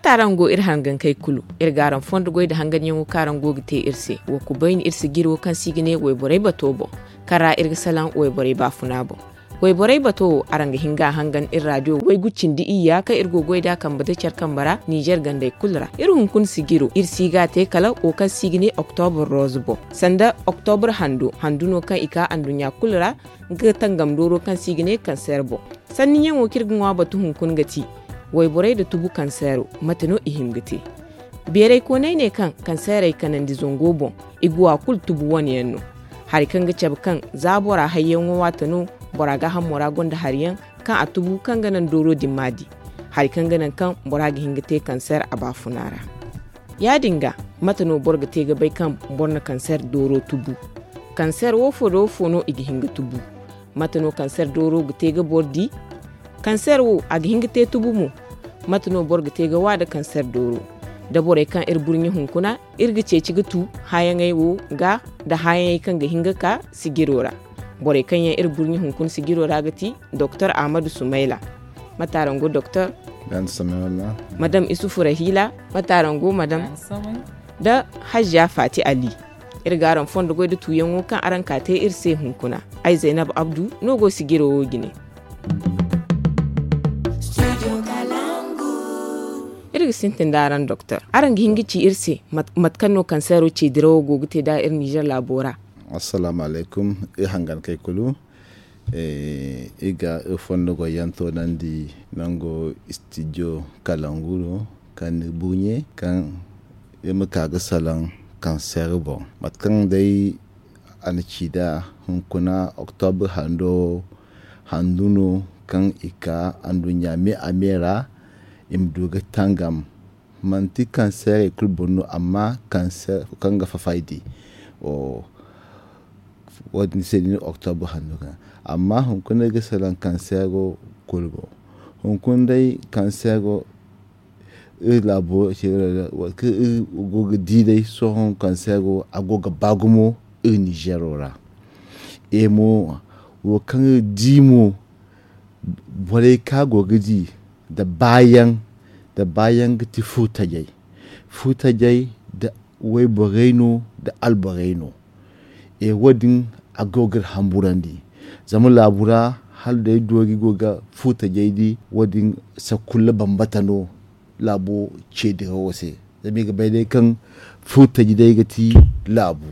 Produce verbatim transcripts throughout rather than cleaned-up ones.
Mate araŋ go iri hangankey kulu? Iri ga araŋ fondo goy nda hanganyaŋo kaŋ araŋ go ga te iri se. Wa kubayni iri sijiro kaŋ se i ga ne wayborey bato boŋ, kaŋ ra iri ga salaŋ wayborey baafuna boŋ. Wayborey bato wo, araŋ ga hin ga a hangan iri raadiyo waygu cindi iyya kaŋ iri go ga goy nd'a kambe nda care kambe ra ninzeer gandey kulu ra. Iri hunkuna sijiro iri si ga a te kala wo kaŋ se i ga ne oktobur roz boŋ, sanda oktobur hando handu no kaŋ i ka anduɲɲa kulu ra, nga tangam dooro kaŋ se i ga ne kanseer boŋ. Sanniyaŋo kaŋ iri ga ŋwa batu hunkuna ga ti wayborey nda tubu kanseero, mate no i hin ga te? Beeraykooney ne kaŋ kanseerey kanandi zango boŋ, i go a kulu tubu wane yaŋ no. Hari kaŋ ga cabe kaŋ za bora hayyaŋo waate no, bora gaahamo ra gonda hari yaŋ kaŋ a tubu kaŋ ga naŋ dooro din m'a di, hari kaŋ ga naŋ kaŋ bora ga hin ga te kanseer a baafuna ra. Ya-din ga, mate no boro ga te ga bay kaŋ boro na kanseer dooro tubu? Kanseer woofo nda woofo no i ga hin ga tubu? Mate no kanseer dooro ga te ga boro di? Kanseer wo, a ga hin ga te tubu mo? Mate no boro ga te ga wa nda kanseer dooro? Da borey kaŋ iri burɲe hunkuna, iri ga ceeci ga tu hããyaŋey wo ga, nda hããyaŋey kaŋ ga hin ga ka sijiro ra. Borey kaŋ yaŋ iri burɲe hunkuna sijiro ra ga ti Doktor Ahmadu Sumayla. Mate araŋ go, Doktor? Madam Isufu Rahila, mate araŋ go, madam? Da Hajja Fati Ali. Iri ga araŋ fondo goy nda tuyaŋo kaŋ araŋ ka te iri se hunkuna. Ay Zaynab Abdu no go sijiro wo jine. Iri ga sintin da araŋ, Doktor. Araŋ ga hin ga ci iri se mat- mate kaŋ no kanseero ce dirawo go ga te nd'a iri Nizer laabo ra? Assalaamu alaykum, iri hangankey kulu. Iri ga iri fondo goyyaŋ toonandi nango istidiyo Kalangu do, kaŋ ni buuɲe kaŋ iri ma ka ga salaŋ kanseer boŋ. Mate kaŋ day a na ci nd'a, hunkuna oktobur hando handu no kaŋ i ka anduɲɲa me a me ra, i ma du ga tangam. Manti kanseerey kulu boŋ no, amma kanseer kaŋ ga fafaydi. Wo- din se no oktobur handu ga. Amma hunkuna iri ga salaŋ kanseero kulu boŋ. Hunkuna day kanseero iri laabo, kaŋ iri go ga di day sohõ, kanseero a go ga ba gumo iri Nizero ra. E mo, wo kaŋ iri di mo, borey kaŋ a go ga di nda baayaŋ, nda baayaŋ ga ti furtajey. Furtajey nda wayborey no, nda alborey no. E, wo- din a go ga iri hamburandi. Zama laabu ra, hala day doori go ga furtajey di, wo- din sakulla bambata no laabo ce dirawo se. Zama i ga bay day kaŋ furtaji day ga ti laabu.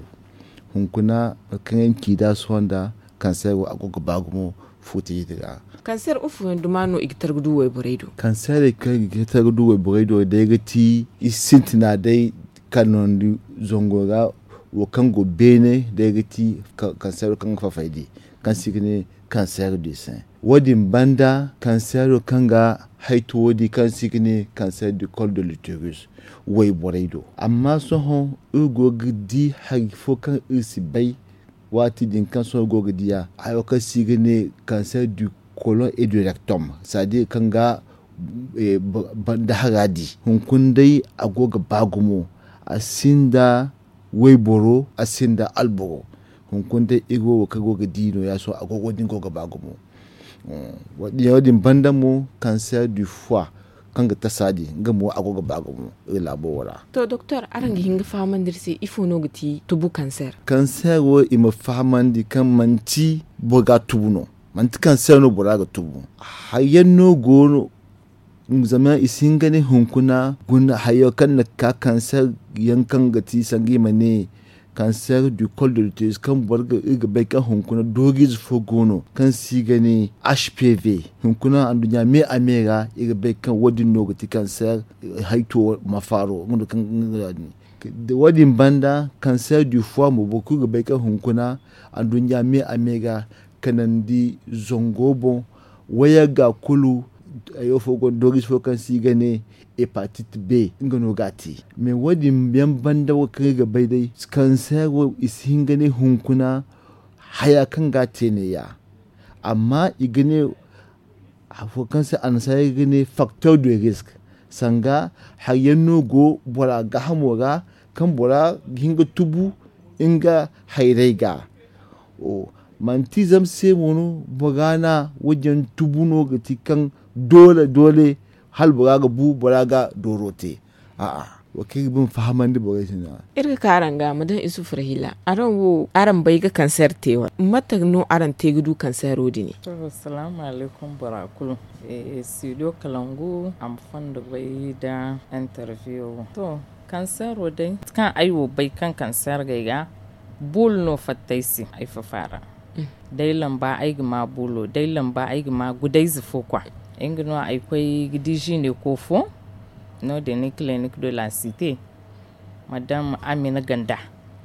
Hunkuna, mate kaŋ yaŋ ci nd'a sohõ nda, kanseero a go ga ba gumo furtaji din ra. Kanseer ifo yaŋ duma no i ga tar ga du wayborey do? Kanseerey kaŋ i ga tar ga du wayborey do day ga ti, i sintina day kanandi zango ra, wo kaŋ go beene day ga ti ka- kanseero kaŋ ga fafay di, kaŋ se i ga ne kanseer du sein. Wo- din banda, kanseero kaŋ ga hayto wo- din kaŋ se i ga ne kanseer du col de l'utérus wayborey do. Amma sohõ iri go ga di hari fo kaŋ iri si bay, waati din kaŋ sohõ iri go ga di a, hayo kaŋ se i ga ne kanseer du colon et du rectum, c'est-à-dire kaŋ ga, eh, ba- banda hara di. Hunkuna day a go ga ba gumo, a sinda wayboro, a sinda alboro. Hunkuna day iri wo wo kaŋ go ga di no ya sohõ a go- wo- din go ga ba gumo. Mm, wo- din banda mo, cancer du foie kaŋ ga tasa din, nga mo a go ga ba gumo iri laabo wo ra. To, doktor, araŋ ga hin ga fahamandi iri se ifo no ga ti tubu cancer? Cancer wo, i ma fahamandi kaŋ manti boro ga tubu no, manti cancer no bora ga tubu. Hari yaŋ no go no, zama i si hin ga ne hunkuna guna hayo kaŋ na ka cancer yaŋ kaŋ ga ti sanga i ma ne cancer du col de l'utérus, kaŋ boro ga, iri ga bay kaŋ hunkuna dooriize fo go no kaŋ se i ga ne H P V. Hunkuna anduɲɲa me a me ra, iri ga bay kaŋ wo- din no ga ti cancer, eh, hayto mafaaro, nga no kaŋ, nga no din. Da wo- din banda, cancer du foie mo, boro kulu ga bay kaŋ hunkuna anduɲɲa me a me ra kanandi zango boŋ, wayagga kulu, hayo fo go no, dooriize fo kaŋ se i ga ne hépatite B, nga no ga a te. Mais wo- din yaŋ banda, wo kaŋ iri ga bay day, cancer wo, i si hin ga ne hunkuna haya kaŋ ga a te neeya. Amma i ga ne, afo kaŋ se annasaarey ga ne facteur de risque, sanga hari yaŋ no go bora gaahamo ra, kaŋ bora ga hin ga tubu nga hayrey ga. O, manti zama se mo no bora na wo- din yaŋ tubu no ga ti kaŋ doole, doole hala bora ga bu bora ga dooro te. A'a, wo kaŋ iri ga ba iri ma fahamandi borey se no-ya. Iri ga ka araŋ ga ma daŋ isufu rahila araŋ wo araŋ bay ga kanseer te wala mate no araŋ te ga du kanseero din? To, salaamu alaykum bora kulu. Studio kalangu a ma fondo bay nda interview wo. To, kanseero day mate kaŋ ay wo bay kaŋ kanseer ga ay ga, buulu no fatta ay se ay fafa ra. Day lamba ay ga ma buulo day lamba ay ga ma gudayze fo kwa. Nga no ay koy ga di ziine ko fo. No- din ni clinic de la cité, madame amina ganda.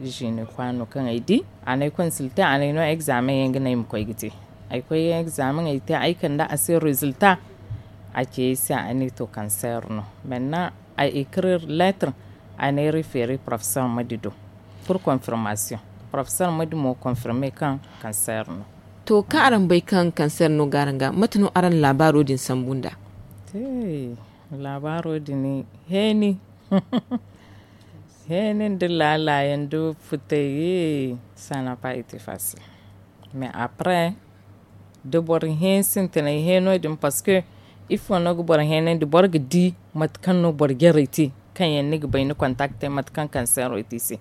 Ziine kwa no kaŋ ay di a n'ay konsilte a n'ay no examen yaŋ ga no ay ma koy ga te. Ay koy examen ay te ay kande a se résultat. A ci ay se a ne to kanseer no. Maintenant ay écrire lettre, a n'ay refere professeur madi do pour confirmation. Professeur madi mo confirme kaŋ kanseer no. To, kaŋ araŋ bay kaŋ kanseer no ga araŋ ga, mate no araŋ na laabaaro din sambu nd'a? Te, laabaaro din heeni. Heeni nda laala yaŋ nda futay. Ça n'a pas été facile. Mais après, da boro hẽ sintinay hẽ no- din parce que ifo no ga boro hẽnandi boro ga di mate kaŋ no boro jarey te, kaŋ yaŋ ni ga bay ni kontakte mate kaŋ kanseero te i se.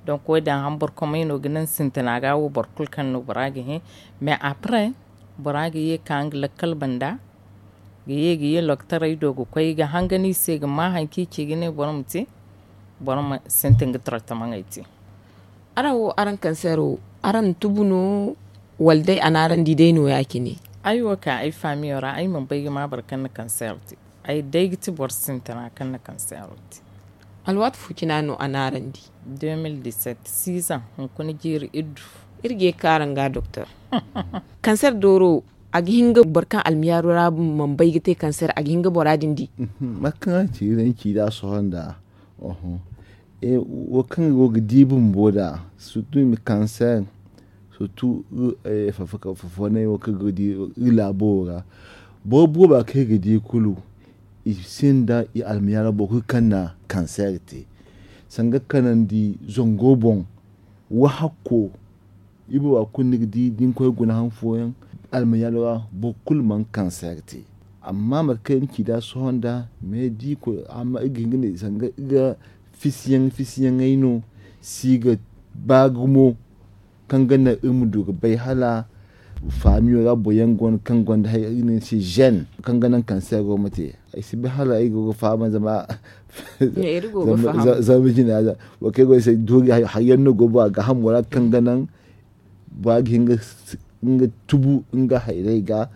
Donc wo- din a hambor komey no ga naŋ sintina ga wo boro kulu kaŋ no bora ga hẽ. Mais après, bora ga ye ka nga lakkal banda, ga ye ga ye loktaray do ga koy ga hangan i se ga ma hari kaŋ i ci ga ne boro ma te, boro ma sintin ga tartamaŋey te. Araŋ wo araŋ kanseero, araŋ na tubu no? Wala day a n'araŋ di day no ya- cine? Ay wo ka ay faamiyo ra ay mana bay ga ma boro kaŋ na kanseero te. Ay day ga ti boro sintina kaŋ na kanseero te. Alwaati fo cina no a n'araŋ di? Deux mille dix-sept, six ans hunkuna jiiri iddu. Iri ga ye ga ka araŋ ga doktor. Kanseer dooro, a ga hin ga boro kaŋ almiyaaro ra mana bay ga te kanseer a ga hin ga bora din di? Mate kaŋ a ci iri nda sohõ nda wo kaŋ go ga di bumbo nd'a, surtout i ma kanseer, surtout fafanay wo kaŋ go ga di iri laabo wo ra. Boro booba kaŋ iri ga di kulu, i sinda i almiyaaro boro kulu kaŋ na kanseer te. Sanga kanandi zango boŋ, wahakko, iri booba kulu ni ga di da ni koy guna han fooyaŋ, almiyaaro ra boro kulu mana kanseer te. Amma mate kaŋ iri ci nd'a sohõ nda, mais da iri koy amma iri ga hin ga ne sanga iri ga fisiyaŋ fisiyaŋey no si ga ba gumo. Kaŋ ga naŋ iri ma du ga bay hala faamiyo ra boro yaŋ go no kaŋ gonda hari iri ne ni se jeune kaŋ ga naŋ kanseero ma te. Ay si bay hala ay go ga faham zama zama jina za wo kaŋ ay go ay se doori hari yaŋ no go bora gaahamo ra kaŋ ga naŋ bora ga hin ga tubu nga hayrey ga.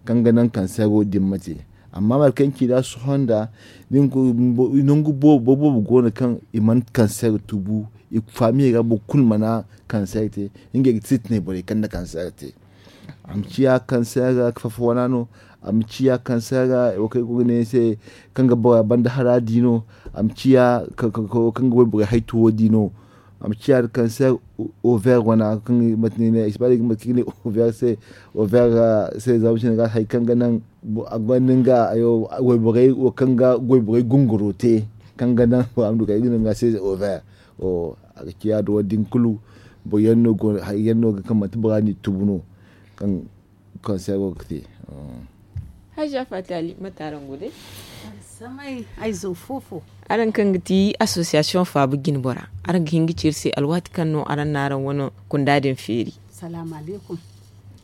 Kaŋ ga naŋ kanseero din ma te. Amma mate kaŋ ci nd'a sohõ nda nangu boobo go no kaŋ i mana kanseer tubu, i faamiyey ra boro kulu mana kanseer te. Ngey ga sintinay borey kaŋ na kanseer te. A ma ciya kanseer fafa wana no. A ma ciya kanseer wo kaŋ ay go ga ne ni se, kaŋ ga bora banda hara di no. A ma ciya kaŋ ga wayborey hay tuwo di no. A ma ciya kanseer over wana kaŋ mate no i ne ay si ba day ga mate kaŋ i ga ne over se. Over se zama cine ga hari kaŋ ga naŋ a gonda nga wayborey wo kaŋ ga wayborey gunguro te, kaŋ ga naŋ a ma du kay ga naŋ ga se over. A ga ciya da wo- din kulu boro yaŋ no go hari yaŋ no ga kaŋ manti bora n'i tubu no. Kaŋ kanseero ga te. Hajja fatali mate araŋ go day? Samay ay zo foofo. Araŋ kaŋ ga ti association faabu jinbora, araŋ ga hin ga ci iri se alwaati kaŋ no araŋ na araŋ wane kunda din feeri? Salaamu alaykum.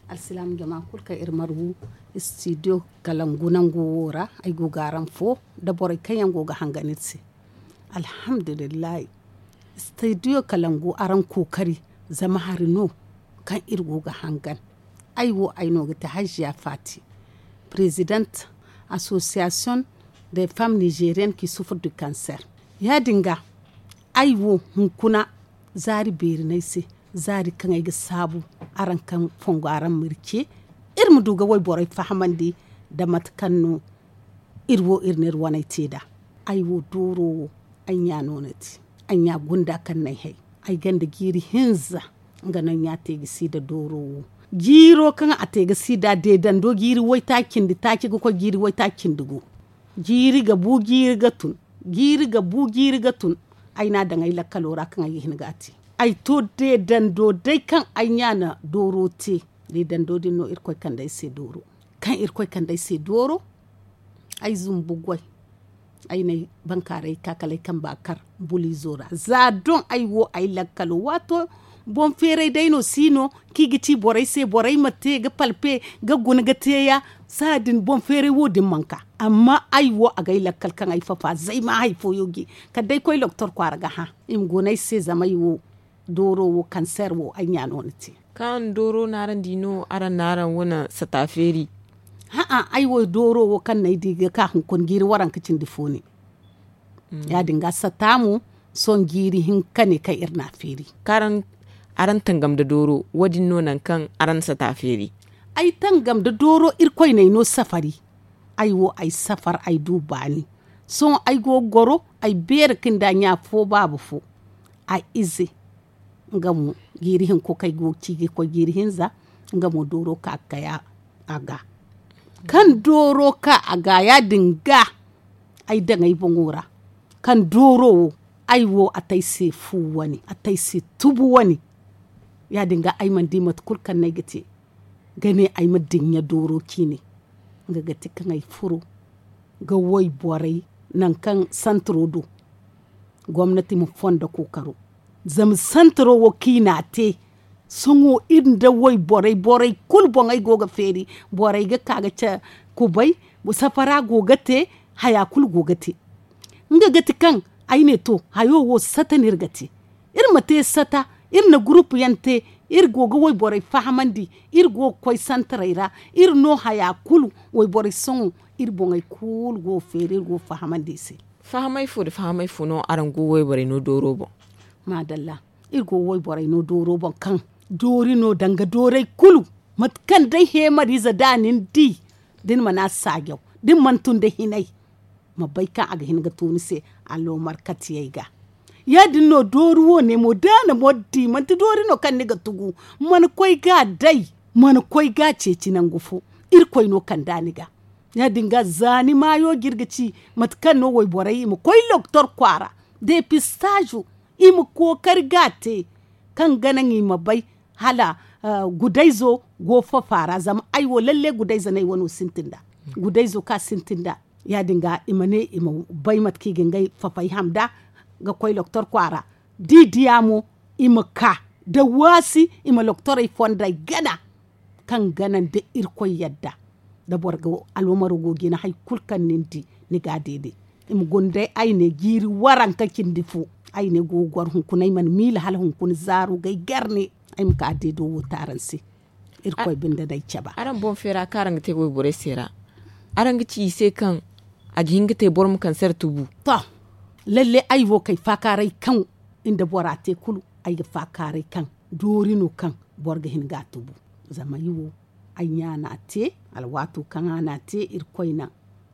Alsilaam jama kulu kaŋ iri margu studio kalangu nango wo ra, ay go ga araŋ fo nda borey kaŋ yaŋ go ga hangan iri se. Alhamdulillahi. Studio kalangu araŋ kookari, zama hari no kaŋ iri go ga hangan. Ay wo ay no ga ti hajiya fati, présidente association des femmes nigériennes qui souffrent du cancer. Ya- din ga, ay wo hunkuna zaari beeri no ay se, zaari kaŋ ay ga saabu araŋ kaŋ fongo araŋ ma iri ce, iri ma du ga wayborey fahamandi nda mate kaŋ no iri wo iri na iri waney te nd'a. Ay wo dooro wo, ay ɲa no no ti. Ay ɲa gunda kaŋ no ay hay. Ay gonda jiiri hinza. Nga no ay ɲa te ga si nda dooro wo. Jiiro kaŋ a te ga si nd'a deedando jiiri waytaaci cindi taaci ga koy jiiri waytaaci cindi gu. Jiiri ga bu jiiri ga tun. Jiiri ga bu jiiri ga tun. Ay n'a daŋ ay lakkalo ra kaŋ ay ga hin ga a te. Ay to deedando day kaŋ ay ɲa na dooro te. Deedando din no irkoy kande ay se dooro. Kaŋ irkoy kande ay se dooro. Ay zumbu goy. Ay n'ay bankaaray ka kala ay kamba kar buliizo ra za doŋ ay wo ay lakkalo waato boŋ feeray day no si no kaŋ i ga ci borey se borey ma te ga palpe ga guna ga teeya. Saadin boŋ feeray wo din mana ka amma ay wo agay lakkal kaŋ ay fafa zay ma hari fooyo gi kala day koy loktor kwaara ga hã i ma guna ay se zama ay wo dooro wo kanseer wo ay ɲa no ni te. Kaŋ dooro no araŋ di no araŋ na araŋ wane sata feeri. Hã'a ay wo dooro wo kaŋ no ay di ga ka hunkuna jiiri waranka cindi fo ne. Ya- din ga sata mo sohõ jiiri hinka ne kaŋ iri n'a feeri. Kaŋ araŋ tangam nda dooro wo- din no nangu kaŋ araŋ na sata feeri. Ay tangam nda dooro irkoy no ay no safari. Ay wo ay safar ay du baani. Sohõ ay go ga goro ay beeri ka nda ɲa fo baaba fo a ize. Nga mo jiiri hinko kaŋ ay go ga ci ga koy jiiri hinza nga mo dooro ka ga kay a ga. Kaŋ dooro ka a ga ya- din ga ay daŋ ay boŋo ra. Kaŋ dooro wo ay wo a te ay se fu wane a te ay se tubu wane. Ya- din ga ay mana di mate kulu kaŋ no ay ga te ga ne ay ma dinya dooro ciine. Nga ga ti kaŋ ay furo ga wayborey nangu kaŋ santiro do gomnati ma fondo kookaro. Zama santiro wo kaŋ i n'a te sohõ iri nda wayborey borey kulu boŋey go ga feeri. Borey ga ka ga ce kubay safara go ga te haya kulu go ga te. Nga ga ti kaŋ ay ne to hayo wo sata no iri ga te. Iri ma te sata iri na gurupu yaŋ te iri go ga wayborey fahamandi. Iri go ga koy santarey ra iri no haya kulu wayborey sohõ iri boŋey kulu go ga feeri iri go ga fahamandi i se. Fahamay fo nda fahamay fo no araŋ go wayborey no dooro boŋ? Maadalla. Iri go wayborey no dooro boŋ kaŋ doori no danga doorey kulu mate kaŋ day heemariize da ni ni di da ni mana saajaw da ni mana tun da hinay ma bay kaŋ a ga hin ga to ni se allomarkatiyey ga. Ya- din no doori wo- ne mo da a na mo di manti doori no kaŋ ni ga tugu mana koy ga a day mana koy ga a ceeci nangu fo. Irkoy no kand'a ni ga. Ya- din ga za ni maayo ga iri ga ci mate kaŋ no wayborey i ma koy loktor kwaara depistaazu i ma kookari ga a te kaŋ ga naŋ i ma bay hala gudayzo go fafa ra zama ay wo lalle gudayzo no ay wano sintin nd'a. Gudayzo kaŋ a sintin nd'a ya- din ga i ma ne i ma bay mate kaŋ i ga ngey fafay ham nd'a ga koy loktor kwaara da i diya mo i ma ka da waasi i ma loktorey fondey gana kaŋ gana nda irkoy yadda da boro ga alwamaro go ga i na hari kulu kaŋ ni na di ni ga a deede. I ma guna day ay ne jiiri waranka cindi fo ay ne go ga goro hunkuna ay mana miila hala hunkuna zaaru ga ay gar ne ay ma ka deedo wo te araŋ se. Irkoy binde no ay cabe. Araŋ boŋ feera kaŋ araŋ ga te wayborey se ra araŋ ga ci i se kaŋ a ga hin ga te boro ma kaŋ se ra tubu? To, lalle ay wo kay faakaaray kaŋ nda bora te kulu ay ga faakaaray kaŋ doori no kaŋ boro ga hin ga a tubu. Zama ay wo ay ɲa no a te alwaato kaŋ a no a te irkoy naŋ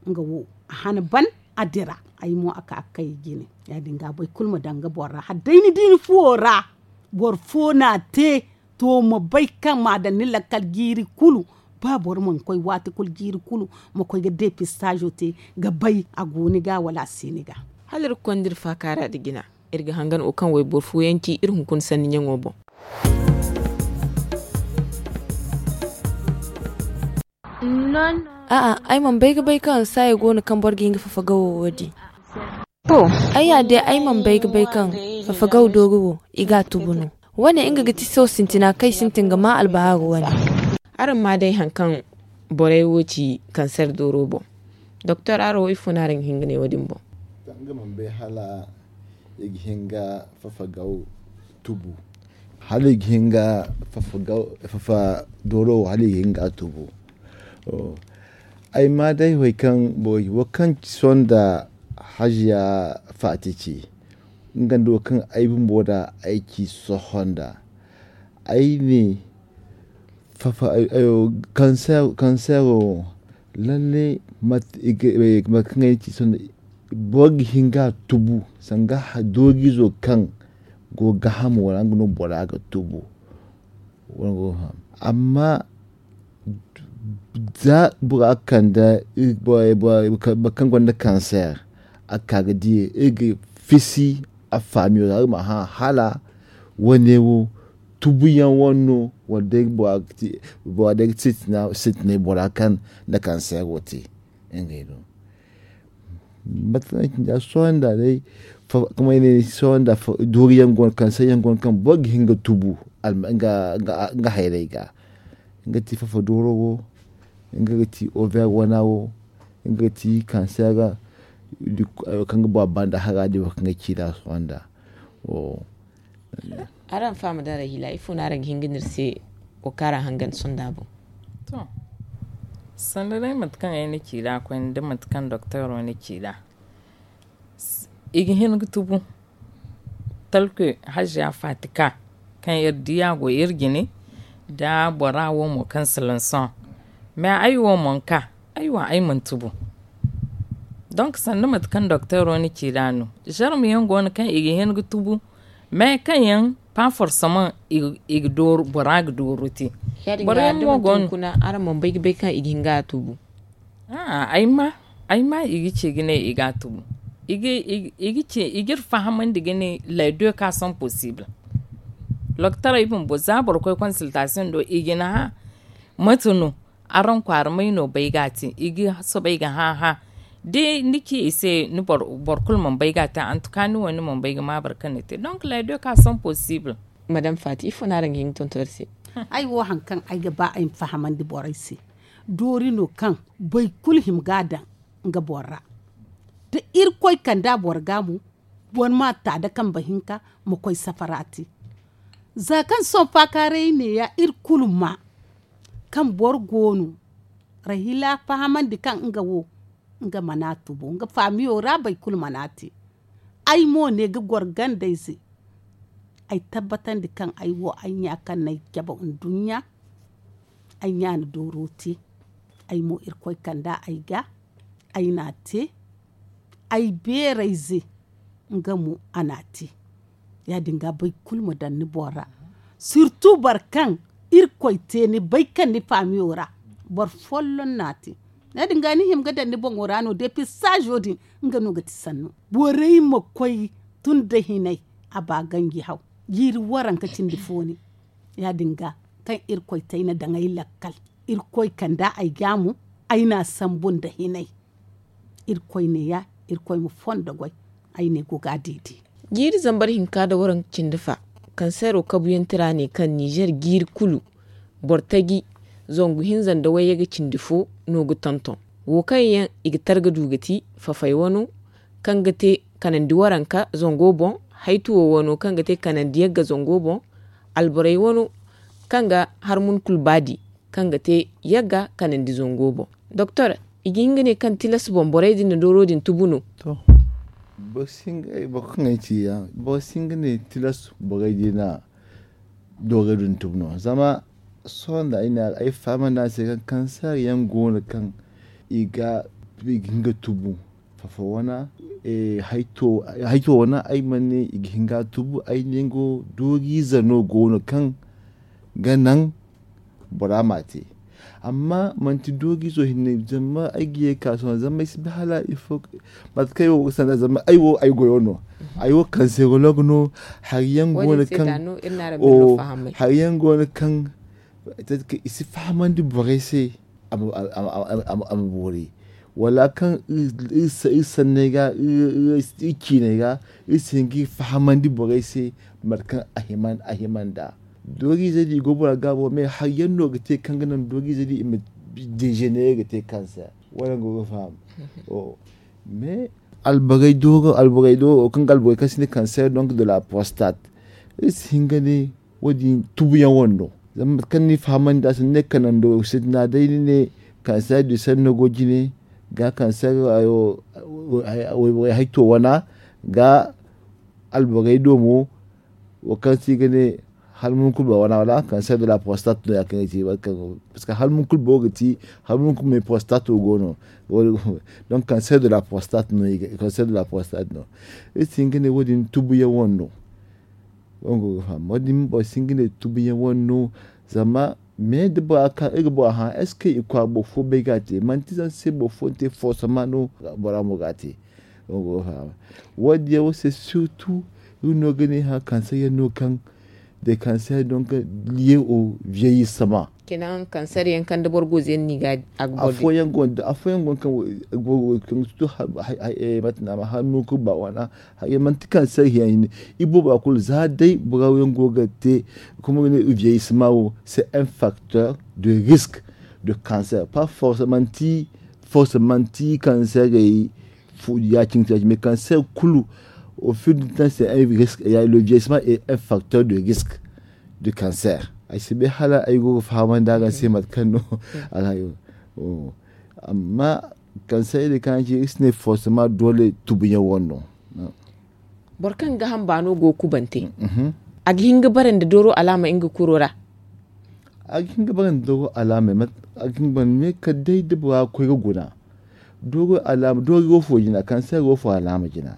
nga wo a han ban a dira ay mo a ka ga kay jine. Ya- din ga boro kulu ma daŋ ga boro ra hala day ni di ni fuwo ra boro fo no a te. To ma bay kaŋ m'a daŋ ni lakkal jiiri kulu ba boro mana koy waati kulu jiiri kulu ma koy ga depistaazo te ga bay a go ni ga wala a si ni ga. Hala iri ga konda iri faakaara nda jina iri ga hangan wo kaŋ wayboro fooyaŋ ci iri hunkuna sanni ɲaŋo boŋ. A'a ay mana bay ga bay kaŋ saaya go no kaŋ boro ga hin ga fafa gawo wo- din. Ay ya day ay mana bay ga bay kaŋ fafa gawo doori wo i ga a tubu no. Wo- ne nga ga ti sohõ sintina kaŋ ay sintin ga maa albahaaru wane. Araŋ ma day hari kaŋ borey wo ci kanseer dooro boŋ. Doktor araŋ wo ifo no araŋ ga hin ga ne wo- din boŋ? Nga mana bay hala i ga hin ga fafa gaw tubu hala i ga hin ga fafa dooro wo hala i ga hin ga a tubu. Ay ma day hari kaŋ boro wo kaŋ ci sohõ nda hajiya faati ci nga nda wo kaŋ ay bumbo da ay ci sohõ nda ay ne kanseero wo lalle mate kaŋ ay ci sohõ nda boro ga hin ga a tubu sanga doorizo kaŋ go ga gaahamo ra nga no bora ga tubu. Amma za bora kande boro kaŋ gonda kanseer a ka ga di iri ga fisi a faamiyo ra iri ma hã hala wane wo tubuyaŋ wane no wala day bora day ga sintinay bora kaŋ na kanseero te. Ngey no Mate kaŋ ay ci nda sohõ nda day, kamay ne sohõ nda doori yaŋ go no kaŋ se yaŋ go no kaŋ boro ga hin ga tubu nga hayray ga. Nga ti fafa dooro wo, nga ga ti over wana wo, nga ga ti kanseera. Kaŋ ga ba banda hara din wo kaŋ ga ci da sohõ nda. Araŋ faama da rahila ifo no araŋ ga hin ga ne iri se? Wo kaŋ araŋ hangan sonda boŋ. To, sanda day mate kaŋ ay na ci da koyne da mate kaŋ doktor wo na ci da, i ga hin ga tubu. Talke hajiya fatika kaŋ iri di a go iri jine, da bora wo mo kaŋ silanson. Mais ay wo mo nka ay wo ay mana tubu. Donk sanda mate kaŋ doktor wo na ci da no, zarma yaŋ go no kaŋ i ga hin ga tubu. Mais kaŋ yaŋ pa forsaman i ga dooru bora ga dooru te. Boro yaŋ mo go no. Araŋ mana bay ga bay kaŋ i ga hin ga a tubu. A'a ay ma i ga ci ga ne i ga a tubu. I ga ci i ga iri fahamandi ga ne, les deux cas sont possibles. Loktaray bumbo za boro koy consultation do i ga ni hã. Mate no araŋ kwaara may no bay ga a te? I ga soobay ga hã hã. Da ni ci i se ni boro kulu mana bay ga a te, antuka ni wo ni mana bay ga ma boro kaŋ ni te. Donc les deux cas sont possibles. Madame fati ifo no araŋ ga hin ga tonton iri se? Ay wo hari kaŋ ay ga ba ay ma fahamandi borey se, doori no kaŋ boro kulu hima ga a daŋ nga boro ra. Da irkoy kande a boro ga mo, boro ma ta da kambe hinka ma koy safara te. Za kaŋ sohõ faakaaray neeya iri kulu ma kaŋ boro go no rahila fahamandi kaŋ nga wo nga mana tubu nga faamiyo ra boro kulu mana te. Ay mo ne ga goro gandayze. Ay tabbatandi kaŋ ay wo ay ɲa kaŋ no ay cabe nduɲɲa. Ay ɲa na dooro te. Ay mo irkoy kand'a ay ga ay n'a te. Ay beerayze nga mo a n'a te. Ya-din ga boro kulu ma daŋ ni boŋ ra. Sirtu boro kaŋ irkoy te ni bay kaŋ ni faamiyo ra boro folloŋ n'a te. Ya-din ga ni hima ga daŋ ni boŋo ra no depisaazo din nga no ga ti sanno. Borey ma koy tun da hinay a ba ganji haw jiiri waranka cindi fo ne. Ya-din ga kaŋ irkoy te ay na daŋ ay lakkal. Irkoy kand'a ay ga mo ay n'a sambu nda hinay. Irkoy neeya irkoy ma fondo goy. Ay ne go ga a deede. Jiiri zambar hinka nda waranka cindi fa. Kansero kabuyaŋ tira ne kaŋ nizer jiiri kulu boro taji zangu hinza nda wayye ga cindi fo no ga tonton. Wo kaŋ yaŋ i ga targa du ga ti fafay wano kaŋ ga te kanandi waranka zango boŋ. Haytuwo wano kaŋ ga te kanandi yagga zango boŋ. Alborey wano kaŋ ga harmun kulu baadi kaŋ ga te yagga kanandi zango boŋ. Doktor, i ga hin ga ne kaŋ tilas boŋ borey din na dooro din tubu no? To, boro si hin ga ne tilas borey din na dooro din tubu no zama sohõ nda ay ne ay fahamandi a se kaŋ kanseer yaŋ go no kaŋ i ga hin ga tubu. Fafo wana hayto wana ay mana ne i ga hin ga a tubu ay ne ngo dooriize no go no kaŋ ga naŋ bora m'a te. Amma manti dooriizo hinne zama ay ga ye ga ka sohõ zama ay si bay hala ifo mate kaŋ ay wo ga sanda zama ay wo ay goyo no. Ay wo kanserolog no. Hari yaŋ go no kaŋ hari yaŋ go no kaŋ i si fahamandi borey se a ma boori wala kaŋ iri sanney ga iri ciiney ga iri si hin ga iri fahamandi borey se mate kaŋ a hima nd'a. Dooriize din i go bora gaabo me hari yaŋ no ga te kaŋ ga naŋ dooriize din i ma dezenere ga te kanseer wala nga go ga faham. Mais alborey dooro alborey dooro kaŋ ga alborey kaŋ sinda kanseer donc de la prostate iri si hin ga ne wo- din tubuyaŋ wano no. Zama mate kaŋ ni fahamandi a se ni ne kanando sintina day ni ne kanseer du sein no go jine ga kanseer wayborey hayto wana ga alborey do mo. Wo kaŋ se i ga ne halmun kulu boro wana wala kanseer de la prostate no ya kaŋ ga ci parceque halmun kulu boro ga ci halmun kulu me prostate wo go no. Donc kanseer de la prostate no iri si hin ga ne wo- din tubuyaŋ wano no. Wo- din boro si hin ga ne tubuyaŋ wane no. Zama me da bora ka iri ga bora hã est ce que i kwaara boro fo bay ga a te manti zama se boro fo na te foosama no bora mo ga a te. Wo- din yaŋ wo se surtout iri no ga ne hã kansa yaŋ no kaŋ de cancer donc lié au vieillissement. Kenan cancer yaŋ kaŋ da boro go zeeni ni ga a ga boro afooyaŋ go da afooyaŋ go kaŋ go kaŋ tu mate na ma hannu ka ba wana. Manti cancer yaŋ i boobo a kulu za day boro yaŋ go ga te. Kuma ne vieillissement wo c'est un facteur de risque de cancer, pas forcément ti forcément ti cancer ya cin ti mais cancer kulu au fil du temps c'est un risque. Le vieillissement est un facteur de risque de cancer. Ay si bay hala ay go ga fahamandi araŋ se mate kaŋ no a ga yo. Amma cancer din kaŋ ci iri si ne forcément doole tubuyaŋ wane no. Boro kaŋ ga hamba no go kubante a ga hin ga bare nda dooro alaama nga kuro ra. A ga hin ga bare nda dooro alaama a ga hin ga bare me kala day da bora ga koy ga guna dooro alaama dooro wo fo jina cancer wo fo alaama jina.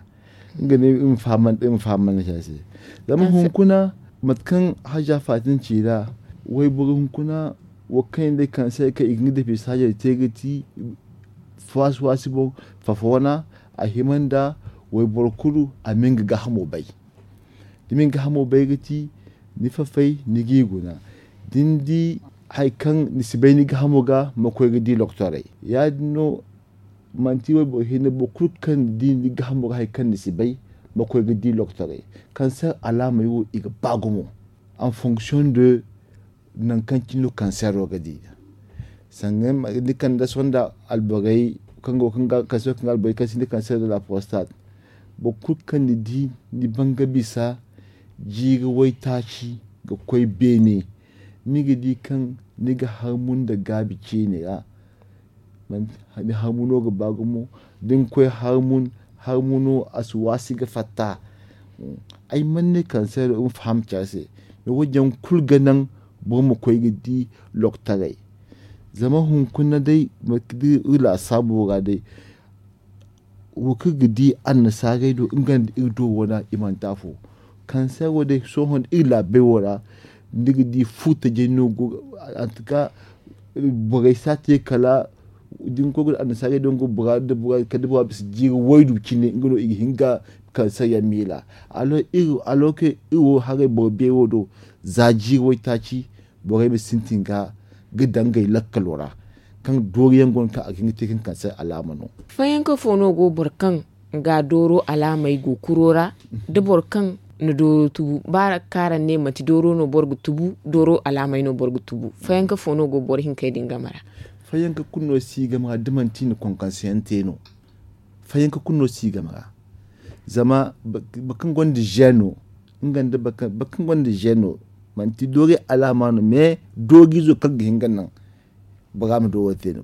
Nga ne iri ma fahamandi iri ma fahamandi se zama hunkuna mate kaŋ haja fatin ci ra wayboro hunkuna wo kaŋ yaŋ day cancer kaŋ i ga nga dépistage te ga ti waasi waasi boŋ fafa wana a hima nda wayboro kulu a ma nga gaahamo bay. Da ma nga gaahamo bay ga ti ni fafay ni g'i guna da ni di hari kaŋ ni si bay ni gaahamo ga ma koy ga di doktorey ya- din no. Manti wayboro hinne boro kulu kaŋ ni di ni gaahamo ga hari kaŋ ni si bay ma koy ga di doktorey. Cancer alaamey wo i ga ba gumo en fonction de nangu kaŋ cine no kansero ga di. Sanga ni kande sonda alborey kaŋ go kaŋ ga kansero kaŋ ga alborey kaŋ sinda kansero de la prostate boro kulu kaŋ ni di ni ban ga bisa jiiri waytaaci ga koy beene. Ni ga di kaŋ ni ga harmu nda gaabi ceene ra. Ni harmu no ga ba gumo da ni koy harmu no a si waasi ga fatta. Ay mana ne kanseero iri ma faham care se. Wo- din yaŋ kulu ga naŋ boro ma koy ga di loktaray. Zama hunkuna day mate kaŋ iri laasaabu ra day wo kaŋ ga di annasaarey do nga nda iri do wane i manti afo. Kanseero day sohõ nda iri laabey wo ra ni ga di fu tajey no go ga antuka. Borey si a te kala da ni koy ga annasaarey do nga bora nda bora kala da bora bisa jiiri waydu cine nga no i ga hin ga kanseer yaŋ miila. Alors que iri wo haray boro beeri wo do za jiiri waytaaci borey ma sintin ga ga daŋ ngey lakkalo ra kaŋ dooriyaŋ go no kaŋ a ga hin ga te kaŋ kanseer alaama no. Fayanka fo no go boro kaŋ ga dooro alaamey go kuro ra da boro kaŋ na dooro tubu ba kaŋ araŋ ne manti dooro no boro ga tubu dooro alaamey no boro ga tubu fayanka fo no go boro hinkey din game ra? Fayanka kulu no si game ra da manti i na konkonseyaŋ te no. Fayanka kulu no si game ra zama boro kaŋ gonda zeeno nga nda boro kaŋ gonda zeeno manti doori alaama no mais dooriizo kaŋ ga hin ga naŋ bora ma do wo te no.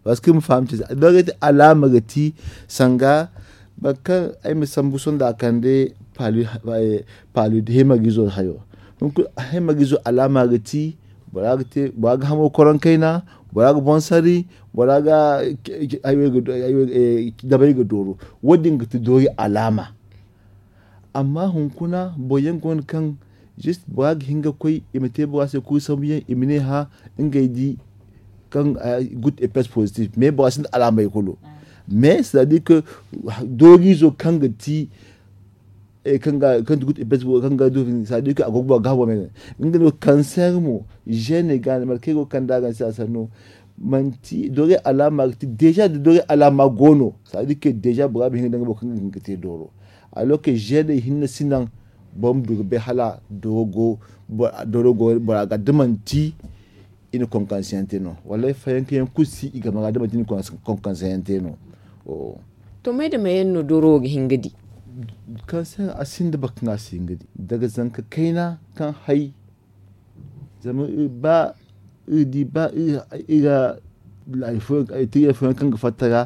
Parce que iri ma faham ce se doori te alaama ga ti sanga boro kaŋ ay ma sambu sohõ nda a kande palu hemarizo hayo. Hemarizo alaama ga ti bora ga hamo koron kayna, bora ga boŋ sari, bora ga dabay ga dooro. Wo- din ga ti doori alaama. Amma hunkuna boro yaŋ go no kaŋ juste bora ga hin ga koy i ma te bora se kulu sambu yaŋ i ma ne hã ngey di kaŋ gutte et pes positif mais bora sinda alaamey kulu. Mais c'est à dire que dooriizo kaŋ ga ti kaŋ ga kaŋ ti gutte et pes kaŋ ga du c'est à dire que a go ga boro gaabo me nga no kanseer mo zeene ga ne mate kaŋ ay go ga kande a ga ni se a sanno. Manti doori alaama ga ti déjà da doori alaama go no c'est à dire que déjà bora ma hin ga daŋ ga boro kaŋ ga hin ga te dooro. Alors que zeene hinne si naŋ boro ma du ga bay hala dooro go bora ga da manti i na konkonseyaŋ te no wallaahi fayanka yaŋ kulu si i game ra da manti i na konkonseyaŋ te no. To may da may yaŋ no dooro wo ga hin ga di? Kanseer a sinda boro kaŋ a si hin ga di daga zanka kayna kaŋ hay. Zama ba iri di ba iri ga laari fooyaŋ kaŋ ga fatta ra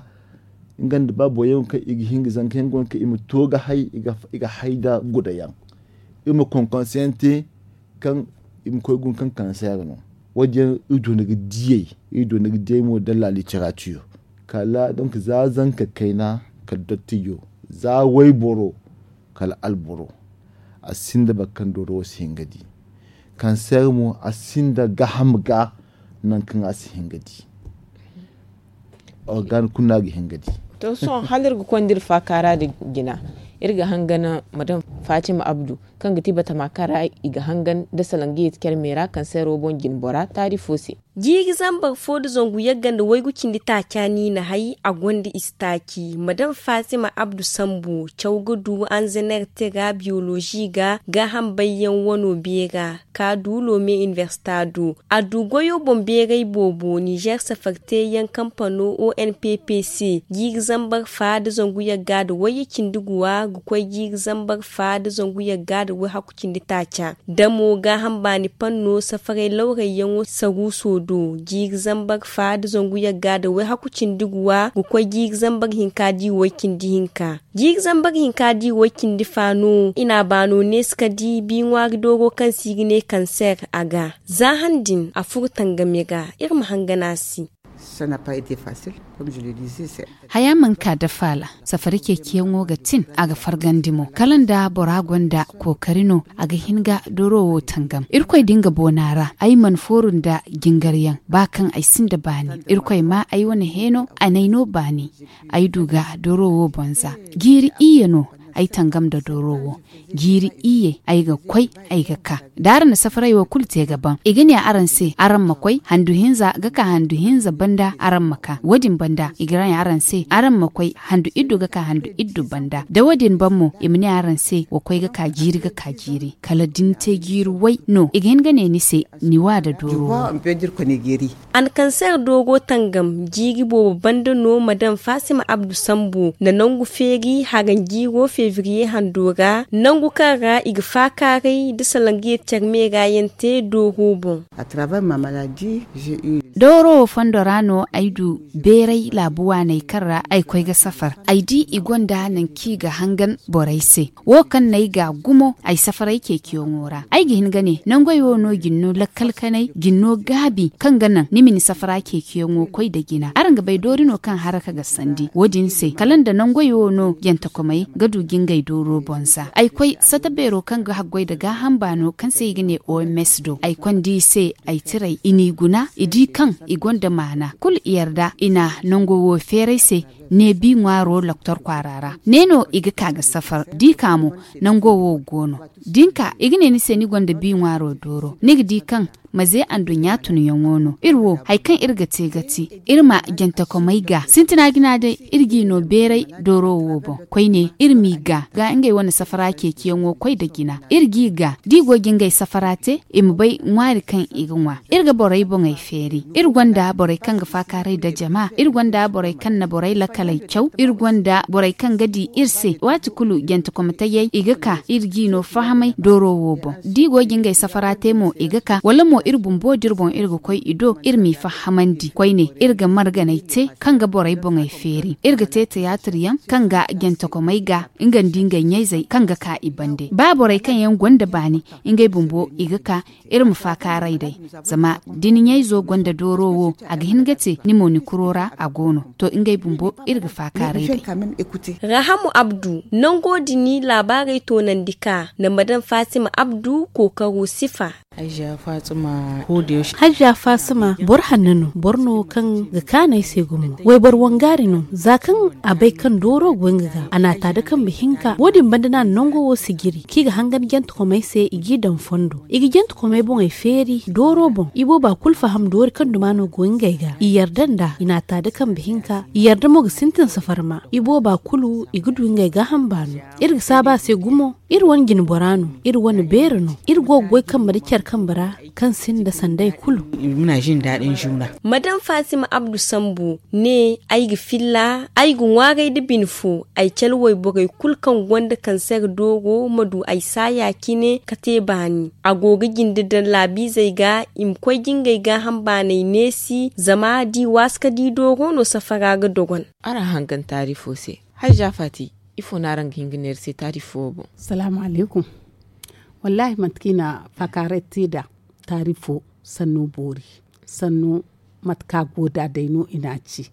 nga nda ba boro yaŋ kaŋ i ga hin ga zanka yaŋ go no kaŋ i ma to ga hay i ga hay nda guda yaŋ. Iri ma konkonseyaŋ te kaŋ i ma koy guna kaŋ kanseer no. Wo- din yaŋ iri doona ga diyey iri doona ga diyey mo da la littérature kala donc za zanka kayna kala dottijo za wayboro kala alboro. A sinda boro kaŋ dooro wo si hin ga di kanseer mo a sinda gaaham ga nangu kaŋ a si hin ga di. Organ kulu no a ga hin ga di. To sohõ hala iri ga konda iri faakaara din jina iri ga hangan madame Fatima Abdu, kaŋ ga ti batama kaŋ ra i ga hangan nda salaŋ ga yeeti care me ra kanseero boŋ jine bora taari fo se. Jiiri zambar fo nda zangu yagga nda waygu cindi taaca no i na hay a gonda istaaci madam fatima abdu sambu caw ga du anzener tera biyolozi ga gaaham bayyaŋ wano beera ka du lome inibersita do a du goyo boŋ beeray boobo nizer safar teeyaŋ kampano onpp se jiiri zambar fa nda zangu yagga nda wayye cindi guwa ga koy jiiri zambar fa nda zangu yagga nda wayhaku cindi taaca da mo gaaham baani panno safaray lawrayyaŋo saruuso do jiiri zambar fa nda zangu yagga nda wayhaku cindi guwa ga koy jiiri zambar hinka di way cindi hinka jiiri zambar hinka di way cindi fa no i na a baano neesi ka di bi ŋwaari dooro kaŋ se i ga ne kanser a ga za han din a furo tangame ga iri ma hangan a se. Haya mana ka da faala safari ceeciyaŋo ga tin a ga fargandi mo kala nda bora gonda kookari no a ga hin ga dooro wo tangam irkoy da nga boona ra ay mana fooru nda jingaryaŋ ba kaŋ ay sinda baani irkoy ma ay wane heeno a n'ay no baani ay du ga dooro wo boŋ za jiiri iyye no ay tangam nda dooro wo jiiri iyye ay ga koy ay ga ka da araŋ na safaray wo kulu te ga ban i ga ne araŋ se araŋ ma koy handu hinza ga ka handu hinza banda araŋ ma ka wo- din banda i ga ne araŋ se araŋ ma koy handu iddu ga ka handu iddu banda da wo- din ban mo i ma ne araŋ se wa koy ga ka jiiri ga ka jiiri kala da ni te jiiri way no i ga hin ga ne ni se ni wa da dooro wo. A na kanser dooro tangam jiiri boobo banda no madam faasima abdu sambu nda nangu feeri haranjiiro febriye hando ra nangu kaŋ ra i ga faakaaray nda salangiye care meera yaŋ te dooro boŋ. Dooro wo fondo ra no ay du beeray laabu waaney kaŋ ra ay koy ga safar ay di i gonda nangu kaŋ i ga hangan borey se wo kaŋ no ay ga a gumo ay safaray ceeciyaŋo ra ay ga hin ga ne nangey wo no jine no lakkal kanay jine no gaabi kaŋ ga naŋ ni ma ni safara ceeciyaŋo koy nda jina araŋ ga bay doori no kaŋ haraka ga sandi wo- din se kala nda nangey wo no jantakomey ga du ga ngey dooro boŋ za ay koy sata beero kaŋ ga haggoy nda gaaham baano kaŋ se i ga ne oms do ay konda i se ay tiray i n'i guna i di kaŋ i gonda maana kulu i yarda i na nango wo feeray se ne bi ŋwaaro loktor kwaara ra ne no i ga ka ga safar da i ka mo nango wo go no da ni ka i ga ne ni se ni gonda bi ŋwaaro dooro ni ga di kaŋ maze anduɲɲa tunyaŋo no iri wo hari kaŋ iri ga te ga ti iri ma jantakomey ga sintina jina day iri g'i no beeray dooro wo boŋ koyne iri m'i ga ga ngey wane safara ceeciyaŋo koy nda jina iri g'i ga da i go ga ngey safara te i ma bay ŋwaari kaŋ i ga ŋwa iri ga borey boŋey feeri iri gonda borey kaŋ ga faakaaray nda jama iri gonda borey kaŋ na borey lakaley caw iri gonda borey kaŋ ga di iri se waati kulu jantakometayey i ga ka iri g'i no fahamay dooro wo boŋ da i go ga ngey safara te mo i ga ka wala mo iri bumbo da iri boŋ iri ga koy i do iri m'i fahamandi koyne iri ga marganey te kaŋ ga borey boŋey feeri iri ga te tiyaatir yaŋ kaŋ ga jantakomey ga nga nda ngey ɲayzey kaŋ ga ka i bande ba borey kaŋ yaŋ gonda baani ngey bumbo i ga ka iri ma faakaaray day zama da ni ɲayzo gonda dooro wo a ga hin ga te ni mo ni kuro ra a go no to ngey bumbo iri ga faakaaray day. Rahamu abdu nango din laabaarey toonandi ka nda madam faasima abdu kookaro sifa. Hajja faasima boro hanno no boro no kaŋ ga kaanu ay se gumo wayboro wangaari no za kaŋ a bay kaŋ dooro go nga ga a n'a ta da kambe hinka wo- din banda no a na nango wo sijiri kaŋ i ga hangan jantakomey se i g'i daŋ fondo i ga jantakomey boŋey feeri dooro boŋ i booba kulu faham doori kaŋ duma no go ngey ga i yarda nd'a i n'a ta da kambe hinka i yarda mo ga sintin safar ma i booba kulu i ga du ngey gaaham baano iri ga saabu a se gumo iri wane jinbora no iri wane beeri no iri go ga goy kambe nda care kambe ra kaŋ sinda sanday kulu. Madam faasima abdu sambu ne ay ga filla ay ga ŋwaaray nda bine fo ay cale wayborey kulu kaŋ gonda kanser dooro ma du ay saaya cine ka te baani a go ga jinde daŋ laabiizey ga i ma koy ga ngey gaaham baaney neesi zama da i waasi ka di dooro no safara ga dogon. Araŋ hangan taari fo se hajja faati ifo no araŋ ga hin ga neera se taari fo wo boŋ? Salaamu alaykum. Wallaahi mate kaŋ i na faakaaray te nd'a taari fo sanno boori sanno mate kaŋ a go nd'a day no i n'a ci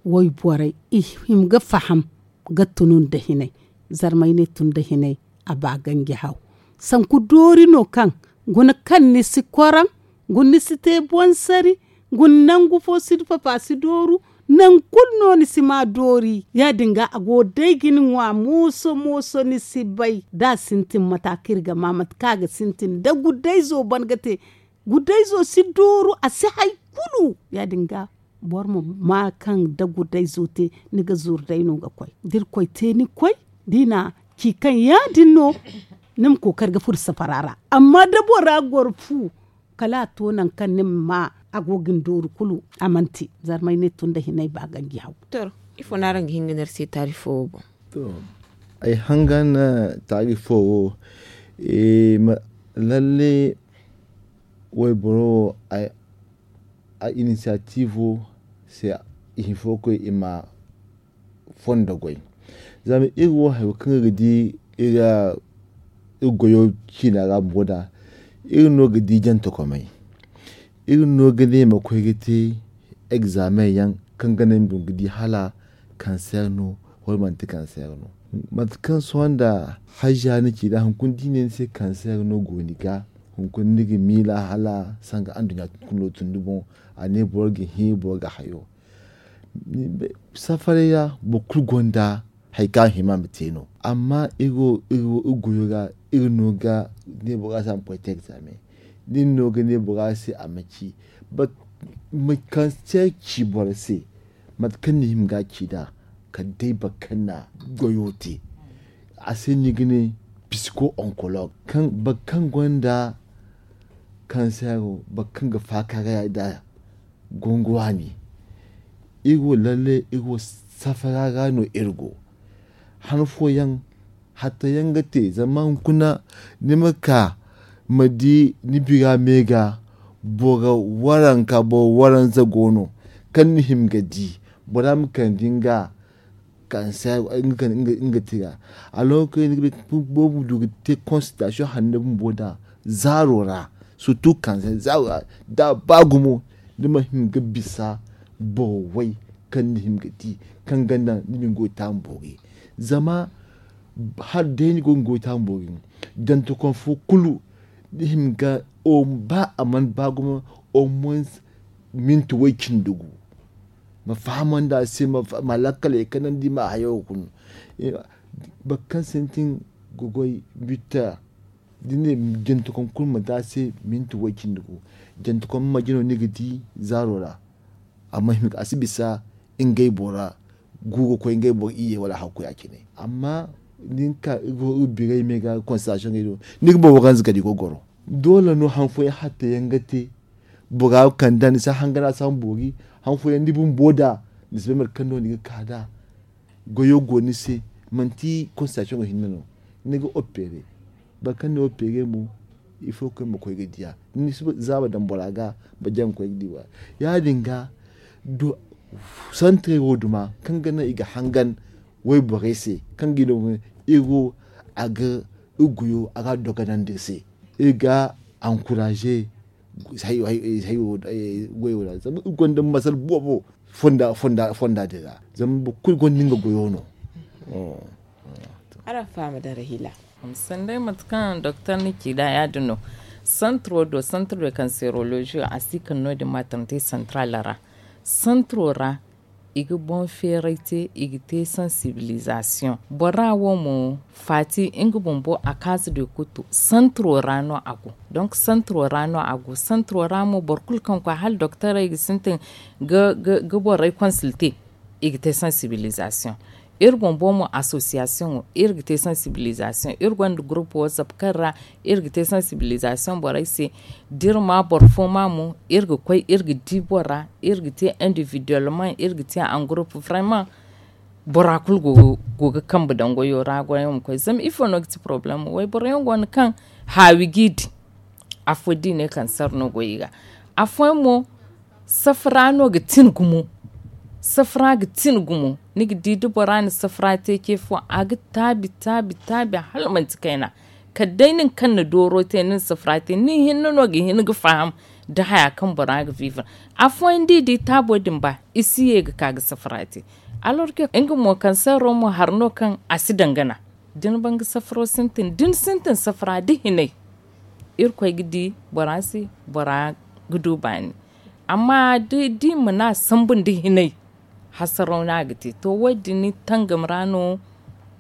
wayborey i hima ga faham ga tunu nda hinay zarmay ne tun nda hinay a ba ganji haw sanku doori no kaŋ guna kaŋ ni si koraŋ guna ni si te boŋ sari guna nangu fo si dupapu a si dooru Nangu kulu no ni si ma doori ya- din ga a go day ga ni ŋwa mooso mooso ni si bay da a sintin mate kaŋ iri ga ma mate kaŋ a ga sintin da gudayzo ban ga te. Gudayzo si dooru a si hari kulu ya- din ga boro ma ma kaŋ da gudayzo te ni ga zuru day no ga koy da irkoy te ni koy da i na ci kaŋ ya- din no ni ma kookari ga furo safara ra. Amma da bora goro fu kala a to nangu kaŋ ni ma ma a go ga ni dooru kulu a mana te. Zarmay ne tun da hinay ba ganji haw. Ifo no araŋ ga hin ga ne iri se taari fo wo boŋ? Ay hangan taari fo wo lalle wayboro wo a inisiyatiivo se i hinfo koy i ma fondo goy. Zama iri wo hari wo kaŋ iri ga di iri goyo ciina ra bumbo da iri no ga di jantakomey. Iri no ga ne ma koy ga te egzaameŋ yaŋ kaŋ ga naŋ ni boŋ ga di hala kanseer no wala manti kanseer no. Mate kaŋ sohõ nda hajja ni ci da hunkuna da i ne ni se kanseer no go ni ga hunkuna ni ga miila hala sanga anduɲɲa kuno tun ni boŋ. A ne boro ga hin boro ga hayo. Safaray ra boro kulu gonda hari kaŋ a hima ma te no. Amma iri wo iri goyo ra iri no ga ne bora se a ma koy te egzaameŋ. Iri no ga ne bora se a ma ci. Kanseer ci boro se mate kaŋ ni hima ga ci nd'a kala day boro kaŋ na goyo te. A se no i ga ne psiko onkolog kaŋ boro kaŋ gonda kanseero boro kaŋ ga faakaaray nd'a. Gongo waani iri wo lalle iri wo safara ra no iri go. Han fooyaŋ hatta yaŋ ga te zama hunkuna ni ma ka ma di ni bira me ga boro waranka boro waranza go no kaŋ ni hima ga di bora ma kande nga kanseer nga tira. Alors que ni ga bay boobo du ga te konsiltasiyoŋ hanno bumbo nd'a zaaro ra surtu kanseer zaaro ra da a ba gumo ni ma hin ga bisa boro way kaŋ ni hima ga di kaŋ ga naŋ ni ma ni goy taamu boori. Zama hala day ni go ga ni goy taamu boori jantakom fo kulu ni hima ga ba a mana ba gumo au moins minti way cindi gu. Ma fahamandi a se ma lakkaley kanandi ma hayo ga kun. Boro kaŋ sintin ga goy bitta da ni ne jantakom kulu ma te a se minti way cindi gu. Jantakom ma jino ni ga di zaaro ra. Amma a si bisa ngey bora gu ga koy ngey boro iyye wala hakku ya- cine. Amma da ni ka iri biray me ga konsiltasiyoŋey do ni ga boro waranza kala i go ga goro. Doole no han fooyaŋ hatta yaŋ ga te bora kand'a ni si a hangana a si a ma boori. Han fooyaŋ ni bumbo da ni si bay mate kaŋ no ni ga ka nd'a. Goyo go ni se manti konsiltasiyoŋo hinne no ni ga oppeere. Boro kaŋ ni oppeere mo ifo kaŋ ma koy ga diya ni si zaaba daŋ bora ga ma jaŋ ga koy ga di wa. Ya- din ga santirey wo duma kaŋ ga naŋ i ga hangan wayborey se kaŋ ga i no iri wo a ga iri goyo a ga a dogonandi iri se. Iri ga ankuraaze goyo ra zama iri gonda masal boobo fonda din ra zama boro kulu gonda nga goyo no. Araŋ faham da rahila. Sanday mate kaŋ doktor ni ci nd'a ya- din no. Santiro do santiro de kanserolozi a si kande no- din maaternite santral ra. Santiro ra i ga boŋ feeray te i ga te sansibilizasiyoŋ bora wo mo faati nga bumbo a kaasa de kuttu santiro ra no a go. Donk santiro ra no a go santiro ra mo boro kulu kaŋ koy hala doktorey ga sintin ga borey konsilte i ga te sansibilizasiyoŋ. Iri bumbo mo asosiyasiyoŋo iri ga te sansibilizasiyoŋ iri gonda gurupu watsap kaŋ ra iri ga te sansibilizasiyoŋ borey se. Da iri ma boro fo ma mo iri ga koy iri ga di bora iri ga te individuwelmaŋ iri ga te angurupu vraymaŋ. Bora kulu go ga kambe daŋ goyo ra goyo ma koy zama ifo no ga ti porobalem wayboro yaŋ go no kaŋ haawi g'i di. Afo da i ne kaŋ sara no go i ga afooyaŋ mo safara no ga tin gumo. Safara ga tin gumo ni ga di da bora na safara te ce fo a ga taabi taabi taabi hala manti kayna. Kala day nin kaŋ na dooro te nin safara te nin hinne no ga hin ga faham da haya kaŋ bora ga viva. Afooyaŋ da i di taabo din ba i si ye ga ka ga safara te. Alors que nga mo kaŋ saro mo hari no kaŋ a si dangana. Da ni ban ga safaro sintin da ni sintin safara da hinay irkoy ga di bora se bora ga du baani. Amma da i mana sambu nda hinay Hasaraw no a ga te to wo- din tangam ra no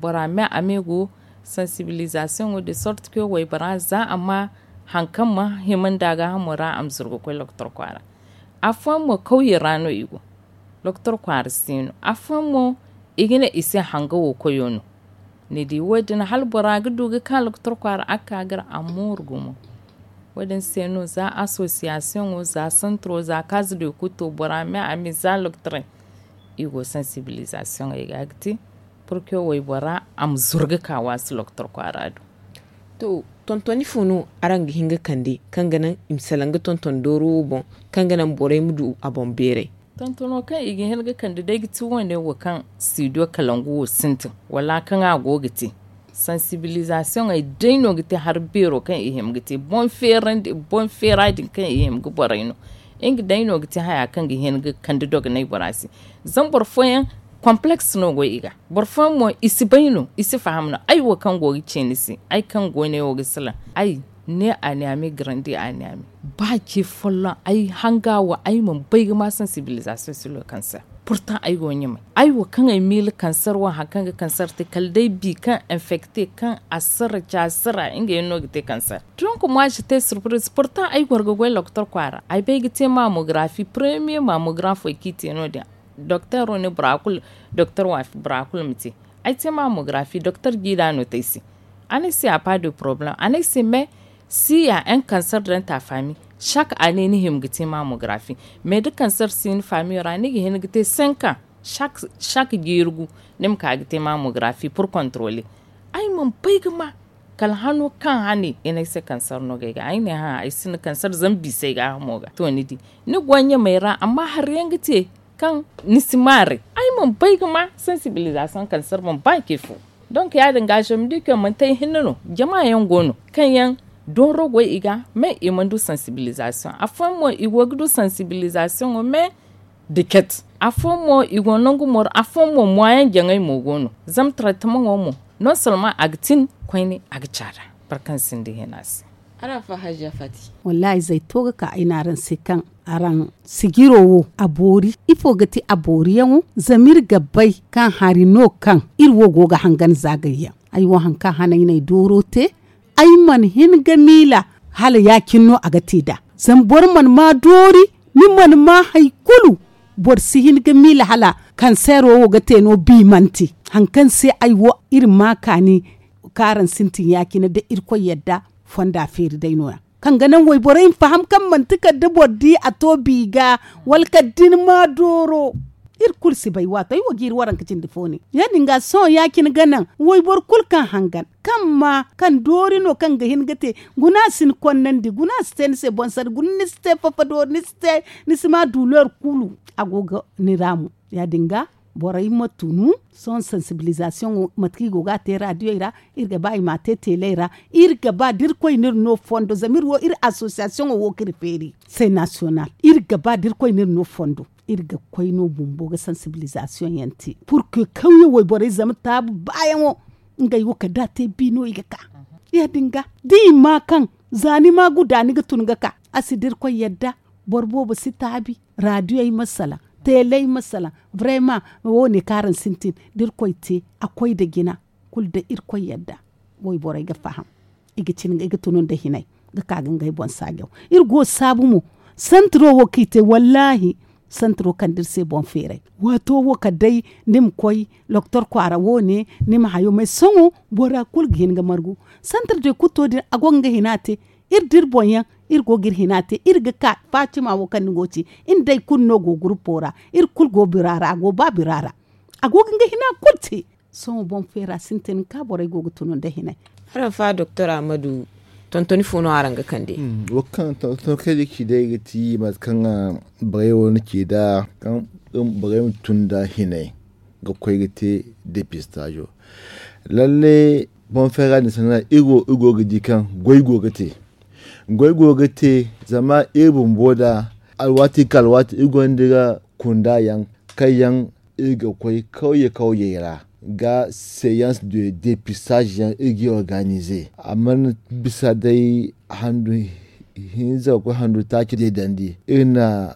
bora me a me go sansibilizasiyoŋo de sorti ke waybora za a ma hari kaŋ ma hima nda a ga hamo ra a ma zuru ga koy lokotor kwaara. Afooyaŋ mo kawye ra no i go. Lokotor kwaara si no afooyaŋ mo i ga ne i se hanga wo koyo no. Ni di wo- din hala bora ga du ga ka lokotor kwaara a ga ka ga ra a mooru gumo. Wo- din se no za asosiyasiyoŋo za santiro za kaaza do i kulu to bora me a me za lokotorey i go sansibilizasiyoŋey ga ga te. Purke waybora a ma zuru ga ka waasi lokotor kwaara do. To tontoni fo no araŋ ga hin ga kande kaŋ ga naŋ i ma salaŋ ga tonton dooro wo boŋ kaŋ ga naŋ borey ma du a boŋ beeray? Tontono kaŋ i ga hin ga kande day ga ti wo- ne wo kaŋ studio kalangu wo sintin wala kaŋ a go ga te sansibilizasiyoŋey day no ga te hari beero kaŋ i hima ga te boŋ feera din kaŋ i hima ga borey no. Nga day no ga te haya kaŋ ga hin ga kande dogonay bora se. Zama boro fooyaŋ konpaleks no go i ga. Boro fooyaŋ mo i si bay no i si faham no ay wo kaŋ go ga ce ni se ay kaŋ go ne wo ga salaŋ ay ne a ne a me garandi a ne a me. Ba ce folloŋ ay hanga wo ay mana bay ga ma sansibilizasiyoŋ silo kaŋ se. Purtaŋ ay go ɲamay ay wo kaŋ ay miila kansar wo hari kaŋ ga kansar te kala day bi kaŋ enfekte kaŋ a sara ca sara nga yaŋ no ga te kansar. Donk moi je te surprise purtaŋ ay goro ga goy lokotor kwaara ay bay ga te mamografi premiye mamografi ay kaŋ i te no- din. Doktor wo ne bora kulu doktor waafi bora kulu ma te. Ay te mamografi doktor jiida no te ay se. A ne ay se a pas de porobalem a ne ay se mais si ya en kansar danta fami. Saka a ne ni hima ga te mamografi mais da kansar si ni famiyo ra ni ga hin ga te senkan saka jiiri gu ni ma ka ga te mamografi pur kontorole. Ay mana bay ga ma kala hano kaŋ hane i ne ay se kansar no ga ay ga ay ne hã ay sinda kansar zama bisa ay ga hamo ga to ni di. Ni go ɲamay ra amma hari yaŋ ga te kaŋ ni si maaray. Ay mana bay ga ma sansibilizasiyoŋ kansar boŋ ba ce fo. Donk ya- din ga zama ni di kaŋ manti ay hinne no jama yaŋ go no kaŋ yaŋ dooro go i ga mais i mana du sansibilizasiyoŋ afooyaŋ mo i go ga du sansibilizasiyoŋo mais da ket afooyaŋ mo i go nangu moro afooyaŋ mo moyaŋ jaŋay mo go no. Zama tarattamaŋo mo non solman a ga tin koyne a ga caada. Boro kaŋ sinda hina se. Araŋ fa hajja fati. Wallahi zay to ga ka ay ne araŋ se kaŋ araŋ sijiro wo a boori ifo ga ti a booriyaŋo? Zama iri ga bay kaŋ hari no kaŋ iri wo go ga hangan zaagayyaŋ. Ay wo hari kaŋ hane ay n'ay dooro te ay mana hin ga miila hala ya- cine no a ga te nd'a. Zama boro mana ma doori ni mana ma hari kulu. Boro si hin ga miila hala kanseero wo ga te no biimanti. Hari kaŋ se ay wo iri ma kaani kaŋ araŋ sintin ya- cine da irkoy yadda fonda feeri day no- ya kaŋ ga naŋ wayborey ma faham kaŋ manti kala da boro di a to bi ga wala kala da ni ma dooro. Iri kulu si bay waato ay wo ga iri waranka cindi fo ne ya- din ga sohõ ya- cine ga naŋ wayboro kulu kaŋ hangan kaŋ ma kaŋ doori no kaŋ ga hin ga te guna si ni konnandi guna si te ni se boŋ sanda guna ni si te fafa doori ni si ma duuleer kulu. A go ga ni ra mo ya- din ga borey ma tunu sohõ sansibilizasiyoŋo mate kaŋ i go ga a te raadiyey ra. Iri ga ba i m'a te teeley ra iri ga ba da irkoy no iri no fondo zama iri wo iri asosiyasiyoŋo wo kaŋ iri feeri se nasiyonal iri ga ba da irkoy no iri no fondo. Iri ga koy no bumbo ga sansibilizasiyoŋ yaŋ te purke kawye wayborey zama taabu baayaŋo ngey wo kala da a te bi no i ga ka. Ya- din ga da i ma kaŋ za ni ma guda ni ga tun ga ka a si da irkoy yadda. Boro boobo si taabi raadiyey ma salaŋ teeley ma salaŋ. Brema wo- ne kaŋ araŋ sintin da irkoy te a koy nda jina kulu da irkoy yadda wayborey ga faham. I ga tunu nda hinay ga ka ga ngey boŋ saajaw. Iri go saabu mo santiro wo kaŋ i te wallaahi santiro kande iri se boŋ feeray. Waato wo kala day ni ma koy lokotor kwaara wo- ne ni ma hayo mais sohõ bora kulu ga hin ga margu. Santir de kutto din a go ga nga hina te iri da iri boŋ yaŋ iri go ga iri hina te iri ga ka fatima wo kaŋ ni go ga ci. Iri day kulu no go gurupo ra iri kulu go bira ra a go ba bira ra. A go ga nga hina kulu te. Sohõ boŋ feera sintin ka borey go ga tunu nda hinay. Araŋ fa doktor ahmadu tontoni fo no araŋ ga kande? Wo kaŋ tontoni kaŋ ay ga ci day ga ti mate kaŋ borey wo na ci nd'a kaŋ borey ma tun nd'a hinay ga koy ga te depistazo. Lalle boŋ feera din sanda iri go ga di kaŋ goy go ga te. Goy go ga te zama iri bumbo nd'a alwaati ka alwaati iri gonda iri ga kunda yaŋ kaŋ yaŋ iri ga koy kawye kawyey ra ga seyans de depistage yaŋ iri ga organize a mana bisa day handu hinza ga koy handu taaci day dandi iri na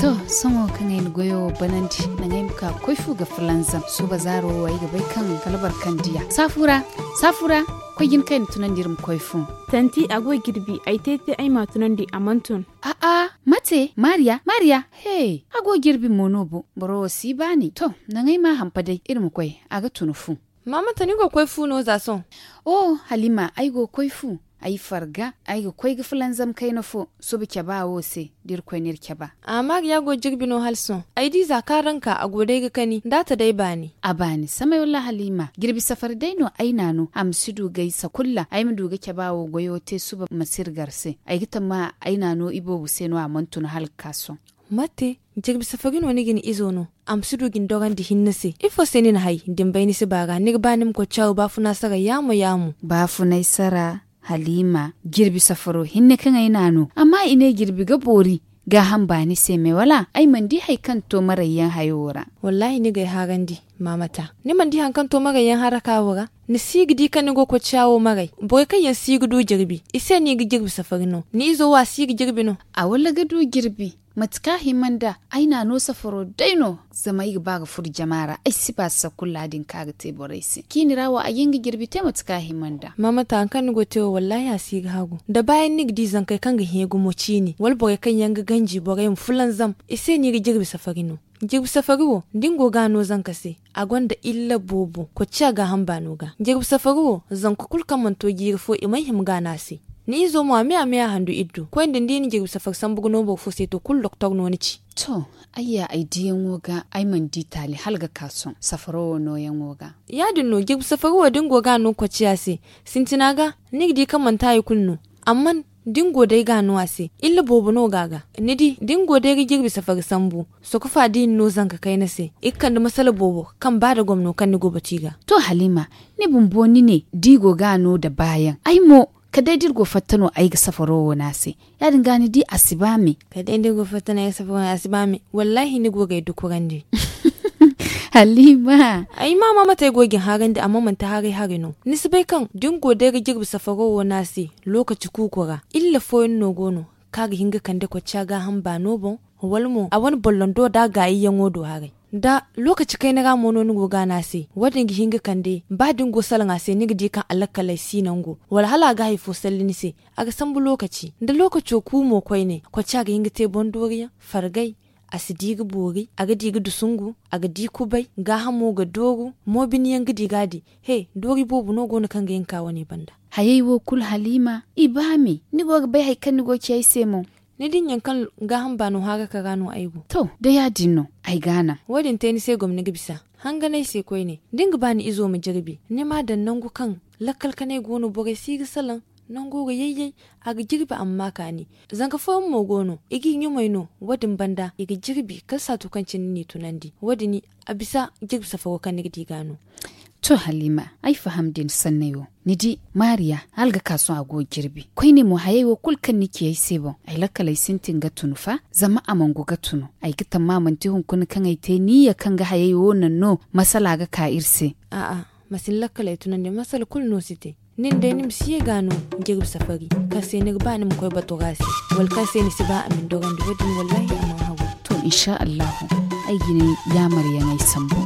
To, sohõ kaŋ ay na goyo banandi, naŋ ay ma ka ga koy fu ga fulanzam. Suuba zaaro wo ay ga bay kaŋ kala boro kaŋ diya. Saafu ra, saafu ra, koy jin kaŋ ay na tunandi iri ma koy fu. Tanti, a go jirbi, ay te-te ay m'a tunandi, a mana tun. A'a, mate, Mariya, Mariya, hey, a go jirbi mo no bo, boro wo si baani. To, naŋ ay m'a hampa day, iri ma koy, a ga tun fu. Maamanta, ni go ga koy fu no za sohõ? Oh, Halima, ay go ga koy fu. Ay farga, ay ga koy ga fulanzam kayna fo, suba caba wo se, da Irkoy n'iri caba. Amma ga ya go jirbi no hala sohõ. Ay di za kaŋ araŋ ka, a go day ga kani, nda a ta day baani. A baani, samay walla Halima, jirbi safari day no ay n'a no, a ma si du gaysa kulu ra, ay ma du ga caba wo goyo te suba ma si iri gar se. Ay ga tamma ay n'a no iboobo se no a mana tun hala ga ka sohõ. Mate, jirbi safari no ni ga ni izo no, a ma si du ga ni dorandi hinne se. Ifo se ni na hay, da ni bay ni si ba ra, ni ga ba ni ma koy caawo baafuna sara yaamo-yaamo? Baafunay sara, Halima, jirbi safaro hinne kaŋ ay n'a no, amma i ne jirbi ga boori, gaaham baani se me wala? Ay mana di hari kaŋ to marayyaŋ hayo wo ra. Wallaahi ni ga ay harandi, Maamata. Ni mana di hari kaŋ to marayyaŋ haraka wo ra? Ni si ga di kaŋ ni go ga koy caawo maray. Borey kaŋ yaŋ si ga du jirbi, i se no i ga jirbi safari no. Ni izo wo a si ga jirbi no. A walla ga du jirbi, mate kaŋ a hima nd'a, ay n'a no safaro day no, zama ay ga ba ga furo jama ra, ay si ba safakula din kaŋ a ga te borey se. Ciini ra wo, a ga hin ga jirbi te mate kaŋ a hima nd'a. Maamata, hari kaŋ ni go ga te wo, wallaahi a si ga hagu. Da baayaŋ ni ga di zankey kaŋ ga hẽ gumo ciini, wala borey kaŋ yaŋ ga ganji borey ma fulanzam, i se no i ga jirbi safari no. Jirbi safari wo, da ni go ga a no zanka se, a gonda illa boobo, koy ciya gaaham baano ga. Jirbi safari wo, zanka kulu kaŋ mana to jiiri fo, i mana hima ga a no a se. Ni izo mo, a me, a me a handu iri do. Koy nda ni di ni jirbi safari sambu ga no boro fo se, to, kulu doktor no ni ci. To, ay ya ay diyaŋo ga, ay mana di taali hala ga ka sohõ, safaro wo nooyaŋo ga. Yaadin no, jirbi safari wo, da ni go ga a no koy ciya se, sintina ga, ni ga di kaŋ manti hari kulu no. Amma Da ni go day ga no a se, illa boobo no ga a ga. Ni di, da ni go day ga jirbi safari sambu, sokofa da i na no zanka kayna se, i ga kande masala boobo kaŋ ba da gomno kaŋ ni go batu i ga. To, Halima, ni bumbo ni ne da i go ga a no da baayaŋ, ay mo, kala day da iri go fatta no ay ga safaro wo no a se. Ya- din ga ni di a si ba me. Kala day da iri go fatta no ay ga safaro wo no a si ba me. Wallaahi ni go ga ay dukurandi. Halima, ay ma ma mate ay go ga ni haarandi, amma manti haaray haray no. Ni si bay kaŋ da ni go day ga jirbi safaro wo no a se, lookaci kuuko ra, illa fooyaŋ no go no kaŋ a ga hin ga kande kocca gaaham baano boŋ, wala mo a wane bollondo da a gaayyaŋo do haray. Da lookaci kayna ra mo no ni go ga a no a se, wo- din ga hin ga kande ba da ni go salaŋ a se ni ga di kaŋ alakkalay si nango, wala hala a ga hari fo salli ni se. A ga sambu lookaci da lookaco ku mo koyne, kocca ga hin ga te boŋ dooriyaŋ, fargay, a si di ga boori, a ga di ga dusungu, a ga di kubay, gaahamo ga dooru, mo biniyaŋ ga di ga a di. He, doori boobo no go no kaŋ ga hin ka wane banda. Hayey wo kulu, Halima, i ba me. Ni go ga bay hari kaŋ ni go ga ci ay se mo. Ni di ɲaŋ kaŋ gaaham baano haaraka ra no ay go. To, da ya- din no, ay ga a naŋ. Wo- din te ni se gomni ga bisa. Hangan ay se koyne, da ni ga ba ni izo ma jirbi, ni m'a daŋ nangu kaŋ lakkal kanay go no, borey si ga salaŋ, nango ga yayyay, a ga jirbi amma kaani. Zanka fooyaŋ mo go no, i g'i ɲumay no, wo- din banda i ga jirbi kala saatu kaŋ cine ni n'i tunandi. Wo- din a bisa jirbi safaro kaŋ ni ga di ga no. To, Halima, ay faham da ni sanney wo. Ni di, Maariya, hala ga ka sohõ a go ga jirbi. Koyne mo, hayey wo kulu kaŋ ni ci ay se boŋ, ay lakkaley sintin ga tunu fa, zama a mana go ga tunu. Ay ga tamma manti hunkuna kaŋ ay te niyya kaŋ ga hayey wo naŋ no masala ga ka iri se. A'a, ma si ni lakkaley tunandi, masala kulu no si te. Nin day ni ma si ye ga no jirbi safari kaŋ se ni ga ba ni ma koy batu ra se, wala kaŋ se ni si ba a ma ni dorandi, wo- din wallaahi a mana hagu. To, insha Allahu, ay ga ni yaamaryaŋey sambu.